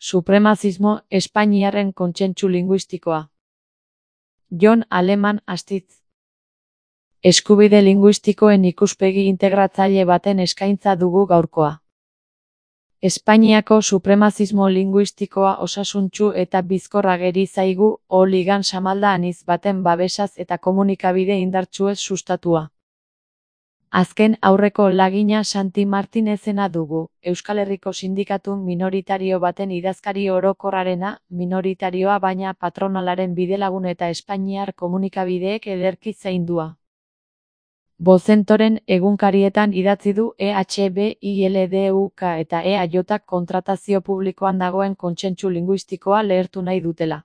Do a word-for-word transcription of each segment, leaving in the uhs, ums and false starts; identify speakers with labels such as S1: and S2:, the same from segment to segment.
S1: Supremazismo espainiarren kontsentsu linguistikoa. Jon Aleman Astitz. Eskubide linguistikoen ikuspegi integratzaile baten eskaintza dugu gaurkoa. Espainiako supremazismo linguistikoa osasuntsu eta bizkor ageri zaigu, O-ligan samalda anitz baten babesaz eta komunikabide indartsuez sustatua. Azken aurreko lagina Santi Martinezena dugu, Euskal Herriko sindikatu minoritario baten idazkari orokorrarena, minoritarioa baina patronalaren bidelagun eta espainiar komunikabideek ederki zaindua. Bozentoren egunkarietan idatzi du E H B I L D U K eta E A J kontratazio publikoan dagoen kontsentsu linguistikoa lehertu nahi dutela.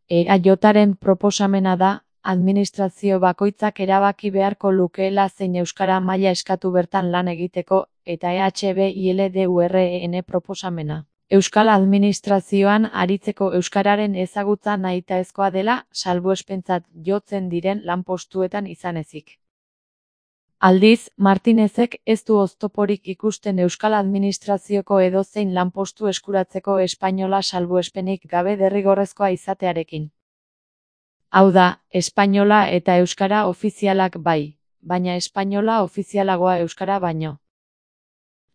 S1: E A Jaren proposamena da, administrazio bakoitzak erabaki beharko lukeela zein euskara maila eskatu bertan lan egiteko, eta E H B I L D U R E N proposamena. Euskal administrazioan aritzeko euskararen ezagutza nahitaezkoa dela, salbuespentzat jotzen diren lanpostuetan izan ezik. Aldiz, Martinezek ez du oztoporik ikusten euskal administrazioko edozein lanpostu eskuratzeko espainola salbuespenik gabe derrigorrezkoa izatearekin. Hau da, espainola eta euskara ofizialak bai, baina espainola ofizialagoa euskara baino.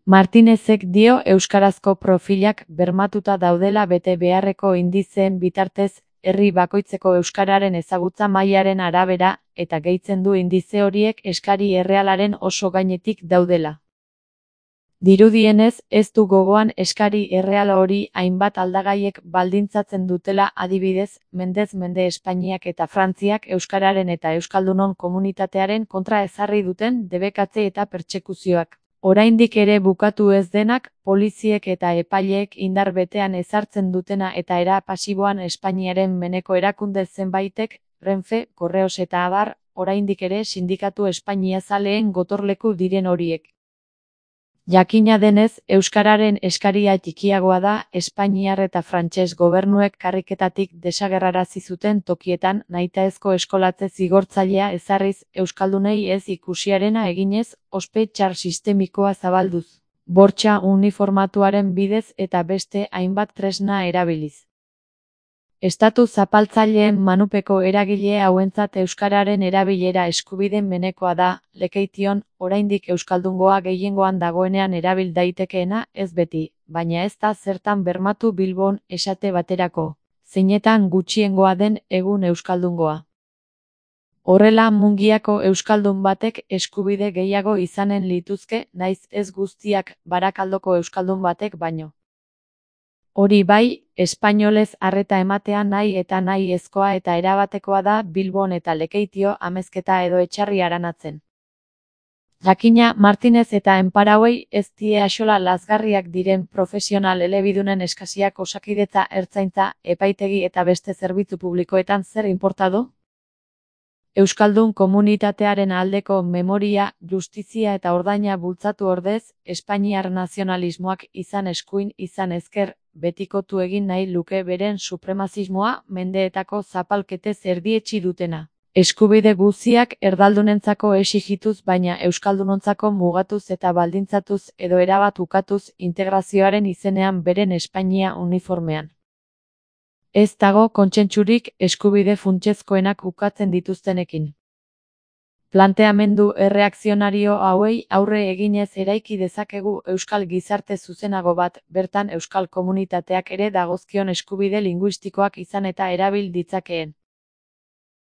S1: Martinezek dio euskarazko profilak bermatuta daudela bete beharreko indizeen bitartez, herri bakoitzeko euskararen ezagutza mailaren arabera, eta gehitzen du indize horiek eskari errealaren oso gainetik daudela. Dirudienez, ez du gogoan eskari erreal hori hainbat aldagaiek baldintzatzen dutela, adibidez, mendez mende Espainiak eta Frantziak euskararen eta euskaldunon komunitatearen kontra ezarri duten debekatze eta pertsekuzioak. Oraindik ere bukatu ez denak, poliziek eta epaileek indar betean ezartzen dutena eta era pasiboan Espainiaren meneko erakunde zenbaitek, Renfe, Correos eta abar, oraindik ere sindikatu espainiazaleen gotorleku diren horiek. Jakina denez, euskararen eskaria txikiagoa da, espainiar eta frantses gobernuek karriketatik desagerrarazi zuten tokietan nahitaezko eskolatze zigortzailea ezarriz, euskaldunei ez ikusiarena eginez, ospe txar sistemikoa zabalduz, bortxa uniformatuaren bidez eta beste hainbat tresna erabiliz. Estatu zapaltzaileen manupeko eragile hauentzat euskararen erabilera eskubideen menekoa da, lekeition, oraindik euskaldungoa gehiengoan dagoenean erabil daitekeena, ez beti, baina ez da zertan bermatu Bilbon, esate baterako, zeinetan gutxiengoa den egun euskaldungoa. Horrela Mungiako euskaldun batek eskubide gehiago izanen lituzke, naiz ez guztiak Barakaldoko euskaldun batek baino. Hori bai, espainolez arreta ematea nahi eta nahi ezkoa eta erabatekoa da Bilbon eta Lekeitio amezketa edo etxarri aranatzen. Jakina, Martinez eta enparauei ez die axola lazgarriak diren profesional elebidunen eskasiak osakidetza, ertzaintza, epaitegi eta beste zerbitzu publikoetan zer inportado? Euskaldun komunitatearen aldeko memoria, justizia eta ordaina bultzatu ordez, espainiar nazionalismoak izan eskuin izan ezker, betikotu egin nahi luke beren supremazismoa mendeetako zapalketez erdietsi dutena. Eskubide guztiak erdaldunentzako exigituz baina euskaldunontzako mugatuz eta baldintzatuz edo erabat ukatuz integrazioaren izenean beren Espainia uniformean. Ez dago kontsentsurik eskubide funtsezkoenak ukatzen dituztenekin. Planteamendu erreakzionario hauei aurre eginez eraiki dezakegu euskal gizarte zuzenago bat, bertan euskal komunitateak ere dagozkion eskubide linguistikoak izan eta erabil ditzakeen.